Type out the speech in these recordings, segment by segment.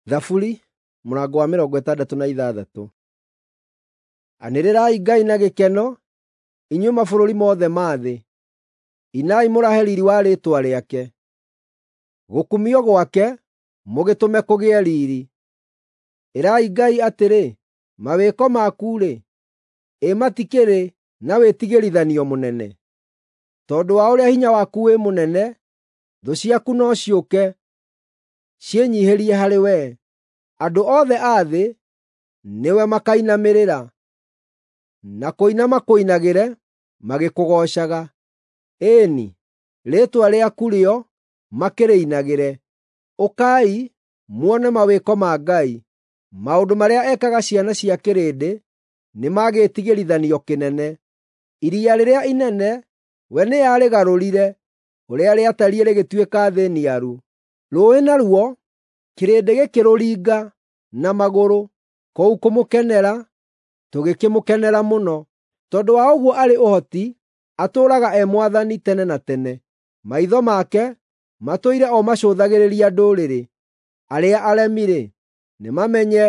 Thaburi mũrango wa 66. Anĩrĩrai Ngai na gĩkeno, inyuĩ mabũrũri mothe ma thĩ; inai mũrahe riiri wa rĩĩtwa rĩake. Gũkumio gwake mũgĩtũme kũgĩe riiri. Ĩrai Ngai atĩrĩ, “Mawĩko maku-rĩ, ĩ matikĩrĩ na wĩtigĩrithanio mũnene! Tondũ wa ũrĩa hinya waku wĩ mũnene, thũ ciaku no ciũke ciĩnyiihĩrie harĩ wee. Andũ othe a thĩ nĩwe makainamĩrĩra, na kũina makũinagĩre magĩkũgoocaga. Ĩĩ-ni, rĩĩtwa rĩaku rĩo makĩrĩinagĩre. Ũkai muone mawĩko ma Ngai; maũndũ marĩa ekaga ciana cia kĩrĩndĩ nĩ ma gĩĩtigĩrithanio kĩnene. Iria rĩrĩa inene we nĩarĩgarũrire, ũrĩa rĩatariĩ rĩgĩtuĩka thĩ niaru. Rũũĩ naruo kĩrĩndĩ gĩkĩrũringa na magũrũ, kũu kũmũkenera tũgĩkĩmũkenera mũno. Tondũ wa ũguo arĩ ũhoti, atũũraga e Mwathani tene na tene. Maitho make matũire o macũthagĩrĩria ndũrĩrĩ; arĩa aremi-rĩ, nĩmamenye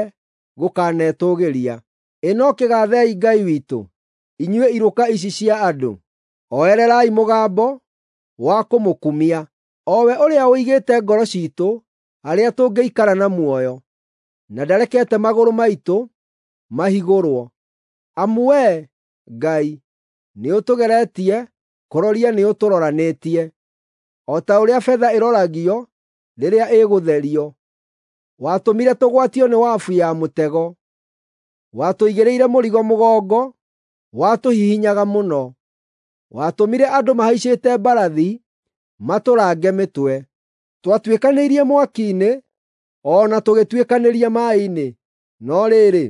gũkanetũũgĩria. Ĩ no kĩgaathei Ngai witũ, inyuĩ irũka ici cia andũ; oererai mũgambo wa kũmũkumia, o we ũrĩa ũigĩte ngoro ciitũ harĩa tũngĩikara na muoyo, na ndarekete magũrũ maitũ mahigũrwo. Amu wee, Ngai, nĩũtũgeretie, kũroria nĩũtũroranĩtie, o ta ũrĩa betha ĩroragio rĩrĩa ĩgũtherio. Watũmire tũgwatio nĩ wabu ya mũtego; watũigĩrĩire mũrigo mũgongo watũhihinyaga mũno. Watũmire andũ mahaicĩte mbarathi matũrange mĩtwe. Twatuĩkanĩirie mwaki-inĩ o na tũgĩtuĩkanĩria maaĩ-inĩ, no rĩrĩ,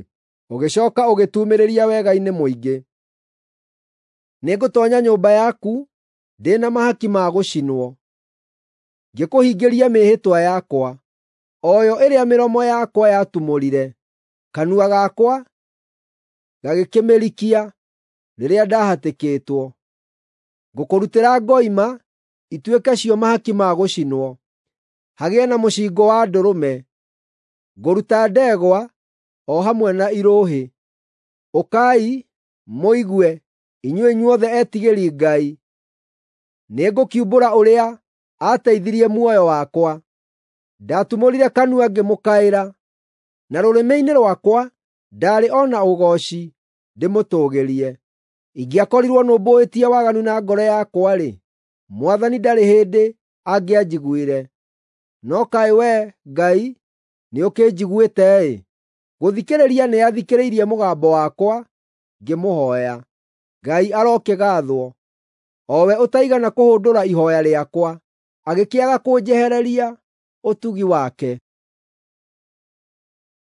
ũgĩcooka ũgĩtuumĩrĩria wega-inĩ mũingĩ. Nĩngũtoonya nyũmba yaku ndĩ na mahaki ma gũcinwo, ngĩkũhingĩria mĩĩhĩtwa yakwa, o yo ĩrĩa mĩromo yakwa yatumũrire, kanua gakwa gagĩkĩmĩrikia rĩrĩa ndahatĩkĩtwo. Ngũkũrutĩra ngoima ituĩke cio mahaki ma gũcinwo, hagĩe na mũcingũ wa ndũrũme. Ngũruta ndegwa o hamwe na irũhĩ. Ũkai, mũigue, inyuĩ inyuothe etigĩri Ngai; nĩngũkiumbũra ũrĩa aateithirie muoyo wakwa. Ndatumũrire kanua ngĩmũkaĩra, na rũrĩmĩ-inĩ rwakwa ndaarĩ o na ũgooci ndĩmũtũũgĩrie. Ingĩakorirwo nũmbũĩtie waganu na ngoro yakwa-rĩ, Mwathani ndarĩ hĩndĩ angĩanjiguire. No kaĩ Wee, Ngai, nĩũkĩnjiguĩte-ĩ! Gũthikĩrĩria nĩathikĩrĩirie mũgambo wakwa ngĩmũhooya. Ngai arokĩgaathwo, o we ũtaigana kũhũndũra ihooya rĩakwa, agĩkĩaga kũnjehereria ũtugi wake.